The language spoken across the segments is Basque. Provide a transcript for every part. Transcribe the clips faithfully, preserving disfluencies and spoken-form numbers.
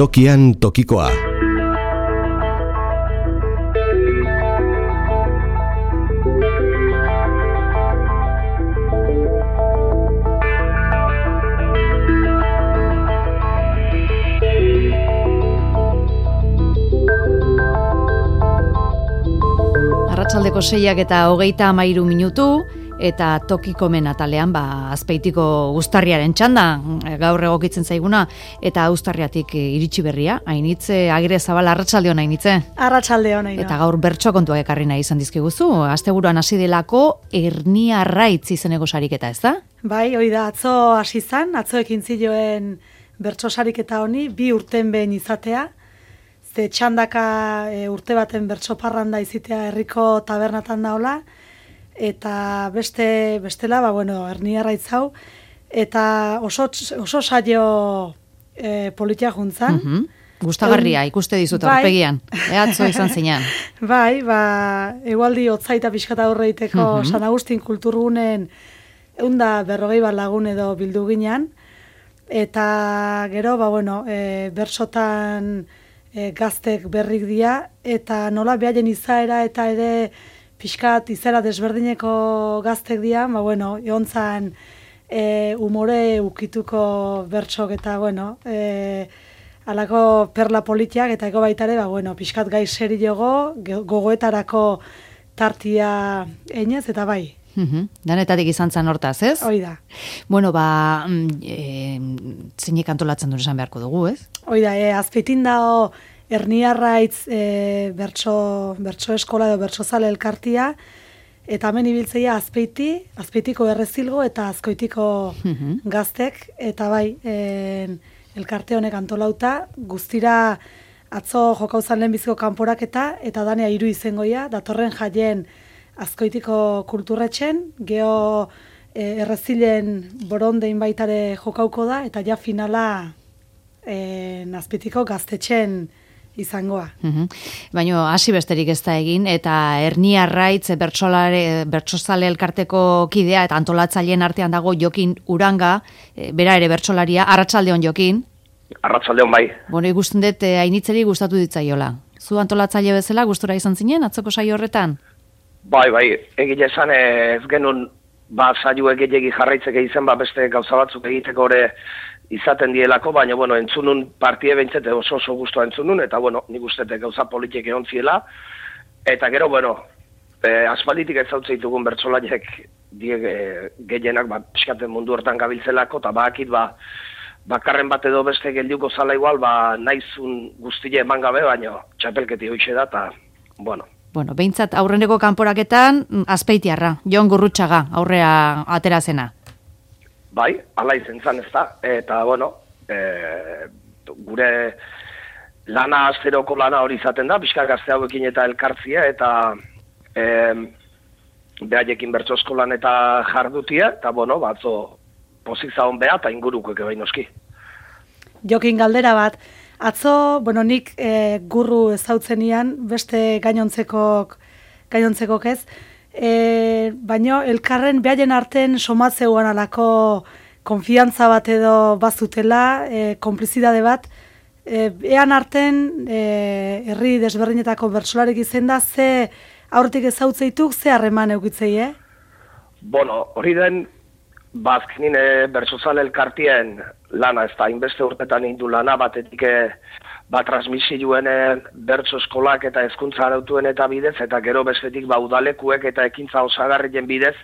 Tokian tokikoa. Arratsaldeko seiak eta hogeita hamairu minutu, eta tokikomen atalean ba, Azpeitiko uztarriaren txanda, gaur egokitzen zaiguna, eta uztarriatik iritsi berria. Ainitze, Agire Zabala, arratsaldeon Ainitze. Arratsaldeon Ainhoa. Eta gaur bertso kontuak ekarri nahi izan dizkiguzu, asteburuan hasi delako Ernia Arraitz izeneko sariketa, ez da? Bai, hori da, atzo hasi izan, atzo ekin zioen bertso sariketa honi, bi urten behin izatea, ze txandaka e, urte baten bertso parranda izitea herriko tabernatan daola, eta beste bestela, ba, bueno, Ernia Arraitz hau, eta oso, oso saio e, politia juntzan. Mm-hmm. Gustagarria, ikuste dizut aurpegian, bai. Atzo izan zinean. Bai, ba, egualdi hotzaita pixkata aurreiteko mm-hmm. San Agustin kulturgunen eunda berrogei bat lagun edo bildu ginean, eta gero, ba, bueno, e, bersotan e, gaztek berrik dira, eta nola behaien izaera eta ere pixkat izera desberdineko gaztek dian, ba, bueno, egontzan e, umore ukituko bertsok eta, bueno, e, alako perla politiak eta ego baitare, ba, bueno, pixkat gai seri jogo, gogoetarako tartia einez, eta bai. Uhum. Danetatik izan zan hortaz, ez? Hoi da. Bueno, ba, e, zeinek antolatzen duen esan beharko dugu, ez? Hoi da, e, Azpeitin dao Ernia Arraitz e, bertso, bertso eskola edo bertso zale elkartia, eta hemen ibiltzeia Azpeiti, Azpeitiko errezilgo eta Azkoitiko uhum. Gaztek, eta bai, e, elkarte honek antolauta, guztira atzo jokauzan lehenbiziko kanporaketa, eta danea hiru izengoia, datorren jaien Azkoitiko kulturretxen, geho e, errezilen borondein baitare jokauko da, eta ja finala e, Azpeitiko gaztetxen izangoa. Uhum. Baina hasi besterik ez da egin, eta Ernia Arraitz bertsozale elkarteko kidea eta antolatzaileen artean dago Jokin Uranga, e, bera ere bertsolaria. Arratsaldeon Jokin. Arratsaldeon bai. Bueno, ikusten dut e, Ainitzeri gustatu ditzaiola. Zu antolatzaile bezala gustura izan zinen atzoko saio horretan? Bai, bai, egile esan ez genuen ba saio egilegi jarraitzeke izen ba beste gauza batzuk egiteko ore izaten dielako, baina, bueno, entzunun partie behintzete oso oso guztua entzunun, eta, bueno, nik ustete gauza politik egon ziela, eta gero, bueno, e, aspalditik ez hau zeitugun bertsolaiek die e, gehienak, ba, piskaten mundu hortan gabiltzelako, eta bakit, ba, bakarren bat edo beste geldiuko zala igual, ba, naizun guztile eman gabe, baina txapelketi hoitxe da, eta, bueno. Bueno, behintzat aurreneko kanporaketan, Azpeitiarra, Jon Gurrutxaga, aurrea atera zena. Bai, ala izen zan ez da, eta, bueno, e, gure lana azteroko lana hori izaten da, pixka gazte hauekin eta elkartzia, eta e, behaiekin bertso eskolan eta jardutia, eta, bueno, batzo pozik zaun beha, eta inguruko eke behin oski. Jokin galdera bat, atzo, bueno, nik e, gurru ezautzenian, beste gainontzekok, gainontzekok ez, E, baino elkarren behaien arten somatzeuan alako konfiantza bat edo bazutela, e, konplizidade bat, e, ean arten e, herri desberdinetako bertsolarek izen da, ze aurretik ezautzeituk, ze harreman eukitzei, eh? Bueno, hori den, bazkinin e, bertsozale elkartien lana, ez da, inbeste urtetan indu lana, batetik e, ba, transmisioen bertso eskolak eta hezkuntza arautuen eta bidez, eta gero bestetik ba, udalekuek eta ekintza osagarrien bidez,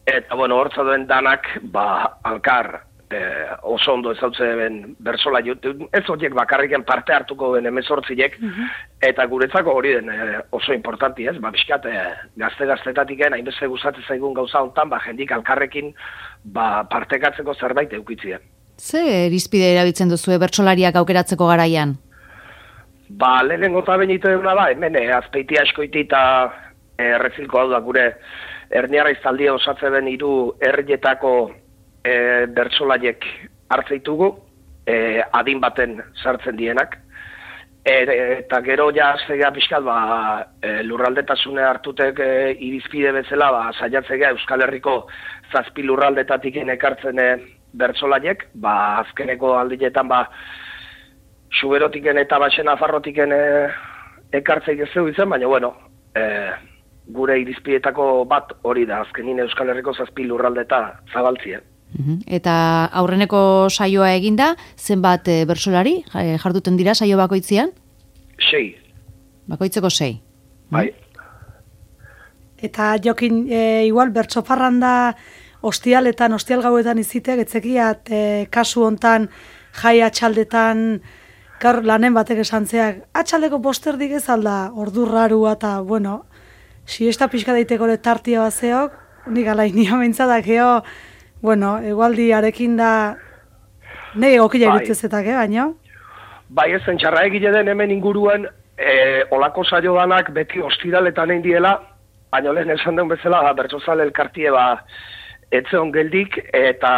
eta bueno, hortza duen danak, ba, alkar, e, oso ondo ezautze ben bertsola, ez horiek bakarriken parte hartuko den emezortziek, mm-hmm. eta guretzako hori den e, oso importanti ez, ba, biskat, e, gazte-gaztetatik egin, hainbeste gustatzen zaigun gauza hontan, ba, jendik alkarrekin ba, partekatzeko zerbait eukitzien. Ze irizpide erabiltzen duzue bertsolariak aukeratzeko garaian? Ba, lehenengo eta benito eguna da, hemen, eh, Azpeiti askoiti eta eh, errezilko hau da, gure Ernia Arraitz taldia osatze ben hiru herrietako eh, bertsolaiek hartzeitugu, eh, adin baten sartzen dienak, e, eta gero ja aztegea pixkat, ba, eh, lurraldetasune hartutek eh, irizpide bezala, ba, saiatzea Euskal Herriko zazpi lurraldetatik ekartzen eh, bertsolaiek, ba, azkeneko aldinetan, ba, Xuberotiken eta Baxen Afarrotiken e, ekartzeik ez zeu izan, baina bueno, e, gure irizpietako bat hori da, azkenin Euskal Herriko zazpi lurralde eta zabaltzien. Eta aurreneko saioa eginda, zenbat e, bersolari jarduten dira saio bakoitzian? Sei. Bakoitzeko sei. Bai. Eta Jokin, e, igual, bertso parranda ostialetan, ostial gauetan izitek, etzekiat e, kasu hontan jai atxaldetan, gaur lanen batek esan zeak, atxaldeko posterdik ez alda, ordu rarua eta, bueno, siesta pixka daiteko tartia bazeok, nik alaini amintzadak, eo, bueno, egualdi arekin da, nahi egokila bai. irutzezetak, eh, baino? Bai, ez zentxarra egile den hemen inguruan, e, olako saio danak beti ostiraletan egin diela, baina lehen esan den bezala, bertsozale elkartie ba, etzeon geldik, eta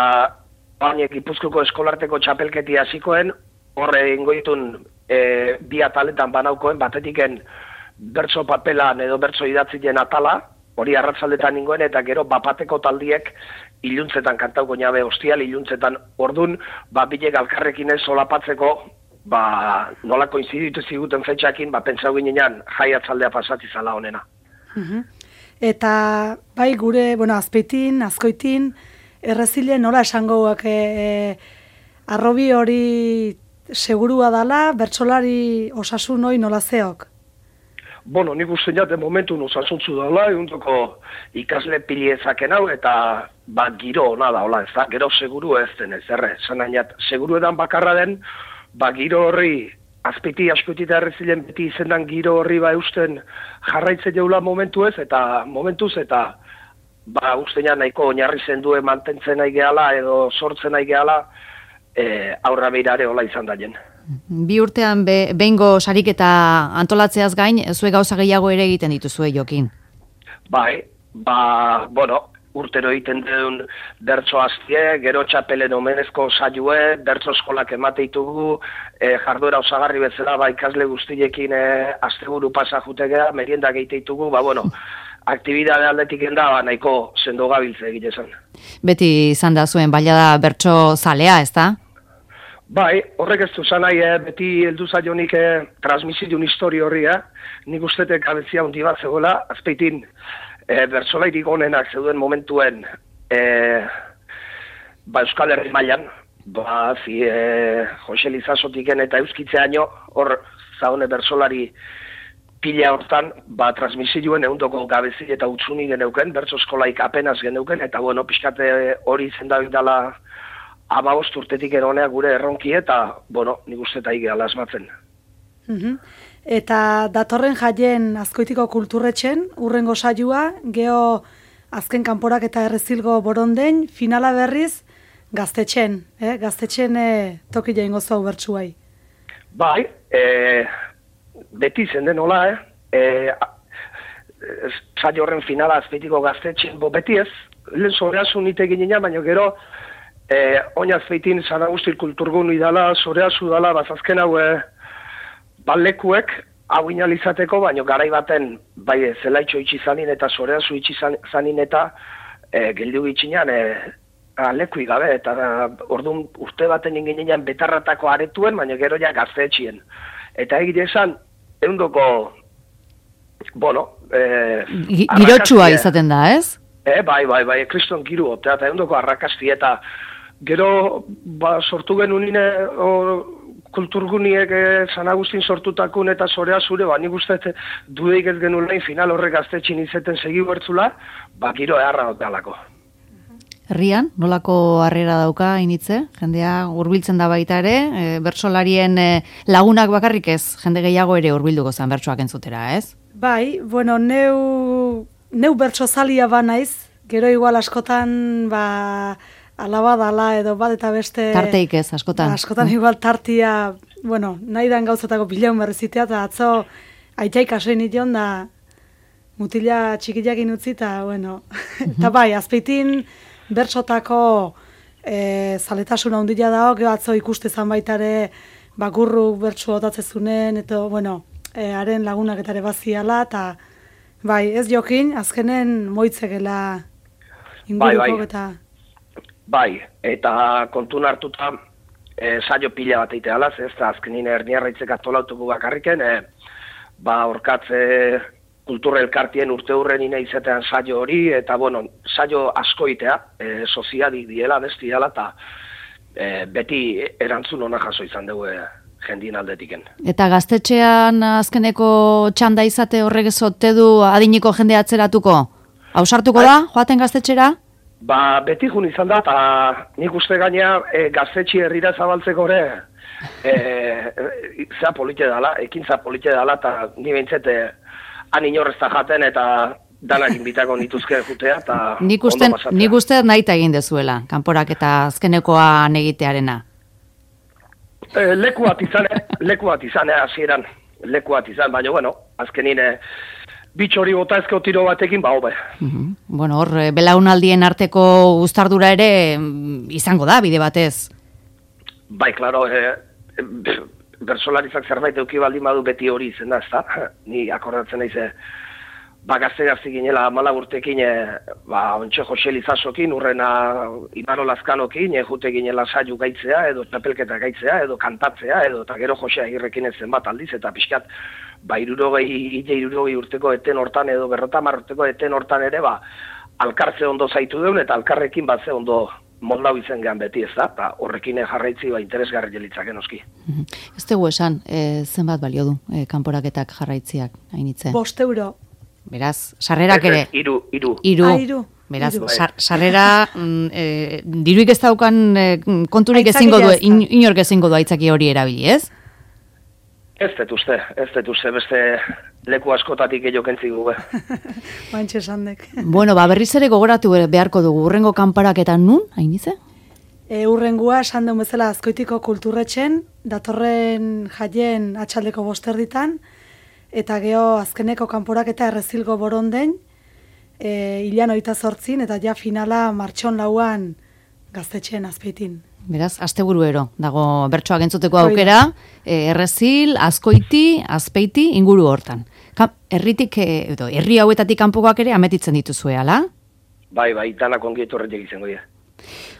bainek Gipuzkoako eskolarteko txapelketi hasikoen, horre ingoitun e, bi ataletan banaukoen, batetiken bertso papelan edo bertso idatzien atala, hori arratzaldetan ingoen, eta gero bapateko taldiek iluntzetan kantauko nabe ostial, iluntzetan ordun, ba, bilek alkarrekin ez solapatzeko, ba, nolako inziditu ziguten fetxakin, ba, pentsau ginean jaiatzaldea pasati zala honena. Uh-huh. Eta, bai, gure, bueno, azpeitin, azkoitin, errezile nola esangoak e, e, arrobi hori segurua dala, bertsolari osasun hori nola zeok? Bueno, nik uste jate momentun osasuntzu dala, egundoko ikasle piliezaken hau, eta ba, giro ona da, hola, ez da, gero seguru ez den ez, erre, zan hainat, seguru edan bakarra den, ba, giro horri, azpiti askoitita errezilen beti izendan giro horri ba eusten jarraitze jaula momentu ez, eta momentuz, eta ba, uste ja nahiko oinarri zendue mantentzen nahi gehala, edo sortzen nahi gehala, e, aurra beirare hola izan daien. Bi urtean be, behingo sariketa antolatzeaz gain, zue gauza gehiago ere egiten dituzue, Jokin? Bai, ba, bueno, urtero egiten duen bertso aztie, gero txapelen omenezko saioe, bertso eskolak emate ditugu, e, jarduera osagarri bezala, ba, ikasle guztiekin e, asteburu pasa jutegea, merienda geite ditugu, ba, bueno, aktibidade aldetik enda, ba, nahiko sendo gabiltze egite zen. Beti izan da zuen, baila da bertso zalea, ez da? Bai, horrek ez du zanai, eh, beti heldu zaionik eh, transmisiun histori horri, eh? Nik ustetek abezia hundi bat zegoela, azpeitin eh, bertsolairik onenak zeuden momentuen eh, ba, Euskal Herri mailan, ba, zi, eh, Jose Lizasotiken eta Euskitzeaino, hor zaune bertsolari pila hortan, ba, transmisioen eundoko gabezi eta utzuni geneuken, bertso eskolaik apenas geneuken, eta bueno, pixkate hori zendabit dela amabost urtetik eronea gure erronki eta, bueno, nik uste eta igea lasmatzen. Uh-huh. Eta datorren jaien Azkoitiko kulturretxen, urrengo saioa, geho azken kanporak eta errezilgo borondein, finala berriz gaztetxen, eh? Gaztetxen eh, toki jaingo zau bertsuai. Bai, e, beti zen den hola, eh? E, saio horren finala Azpeitiko gaztetxen, bo beti ez, lehen zoreazu nite ginean, baina gero, Eh, oinaz feitin San Agustin kulturgun idala, zoreazu dala, bazazken hau eh, balekuek hau inalizateko, baina garai baten bai zelaitxo itxi zanin eta zoreazu itxi zanin eta eh, geldiu itxinan eh, aleku igabe, eta eh, orduan urte baten inginean betarratako aretuen, baina gero ja gaztetxien. Eta egite esan, eundoko, bueno, eh, girotsua izaten da, ez? Eh, bai, bai, bai, kriston giru, eta eundoko arrakasti eta gero, ba, sortu genunine kulturguniek eh, San Agustin sortutakun eta zorea zure, ba, nik uste dudeik ez genulein final horrek gaztetxin izeten segi bertzula, ba, giro eharra otealako. Herrian, nolako harrera dauka initze? Jendea hurbiltzen da baita ere, e, bertsolarien e, lagunak bakarrik ez, jende gehiago ere hurbilduko zen bertsoak entzutera, ez? Bai, bueno, neu, neu bertsozalia ba naiz, gero igual askotan, ba, alaba dala edo bat eta beste... Tarteik ez, askotan. Askotan igual tartia, bueno, nahi dan gauzatako bilaun berrezitea, eta atzo aitaik asoin ition da mutila txikiakin utzi, eta bueno, eta bai, azpeitin bertsotako e, zaletasuna hundila dago, gero atzo ikuste zan baitare bakurruk bertsu otatzezunen, eta bueno, e, haren lagunak eta ere baziala, eta bai, ez Jokin, azkenen moitzegela inguruko bai, bai. eta... Bai, eta kontun hartuta e, saio pila bat eitea alaz, ez da azkenin erniarraitzek atolautuko bakarriken, e, ba orkatze kultura elkartien urte hurren ina izatean saio hori, eta bueno, saio askoitea, e, soziadik diela, besti dela, eta e, beti erantzun ona jaso izan dugu e, jendien aldetiken. Eta gaztetxean azkeneko txanda izate horrek ezote du adiniko jende atzeratuko? Hausartuko da, joaten gaztetxera? Ba, beti jun izan da, eta nik uste gaina e, gaztetxe herrira zabaltzeko ere, e, e, zea polite dala, ekintza polite dala, eta ni behintzete han inorrezta jaten, eta danak inbitako nituzke jutea, eta nik uste, nik uste nahi egin dezuela, kanporak eta azkenekoan egitearena. E, leku bat izan, leku bat izan, hasieran leku bat izan, baina, bueno, azkenin bitxori bota ezkeo tiro batekin, ba, hobe. Mm-hmm. Bueno, hor, belaunaldien arteko uztardura ere izango da, bide batez. Bai, klaro, e, e, bersolarizak zerbait euki baldin badu beti hori izen da, ez da? Ni akordatzen naiz, ba, gazte-gazte ginela amala urtekin, e, ba, ontxe Jose Lizasokin, urrena Imano Lazkanokin, e, jute ginela saiu gaitzea, edo txapelketa gaitzea, edo kantatzea, edo eta gero Jose Agirrekin ezen bat aldiz, eta pixkat, ba, irurogei, ide irurogei urteko eten hortan, edo berrotamar urteko eten hortan ere, ba, alkartze ondo zaitu deun, eta alkarrekin bat ze ondo moldau izen gehan beti, ez da, eta horrekin jarraitzi, ba, interesgarri jelitzaken oski. Ez dugu esan, e, zenbat balio du, e, kanporaketak jarraitziak, hainitze? Bost euro. Beraz, sarrerak ere... Iru, iru. Iru. Ah, iru. Beraz, Iru. sar, sarrera, mm, e, diruik ez daukan e, konturik ezingo du, in, inork ezingo du aitzaki hori erabili, ez? Ez dut uste, ez dut uste, beste leku askotatik egiokentzik dugu. Bantxe sandek. Bueno, ba, berriz ere gogoratu beharko dugu, urrengo kanparaketan nun, hainize? E, urrengua, esan duen bezala Azkoitiko kulturretxen, datorren jaien atxaldeko bosterditan, eta geho azkeneko kanporaketa errezilgo borondein, e, hilan oita zortzin, eta ja finala martxon lauan gaztetxeen Azpeitin. Beraz, asteburuero dago bertsoak entzuteko aukera, e, errezil, Azkoiti, Azpeiti, inguru hortan. Ka, herritik, e, edo, herri hauetatik kanpokoak ere ametitzen dituzue, ala? Bai, bai, danak ongietu horretik izango dira.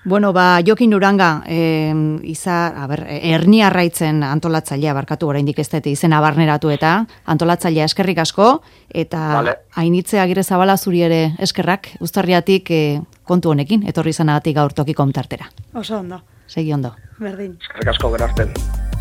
Bueno, ba, Jokin Uranga, eh, iza, a ber, erni arraitzen antolatzailea, barkatu oraindik ez dute izena barneratu eta antolatzailea eskerrik asko, eta vale. Ainitze Agirrezabala zuri ere eskerrak, uztarriatik eh, kontu honekin, etorri izanagatik gaur tokiko tartera. Oso ondo. Segi ondo. Berdin. Eskerrik asko gerarten.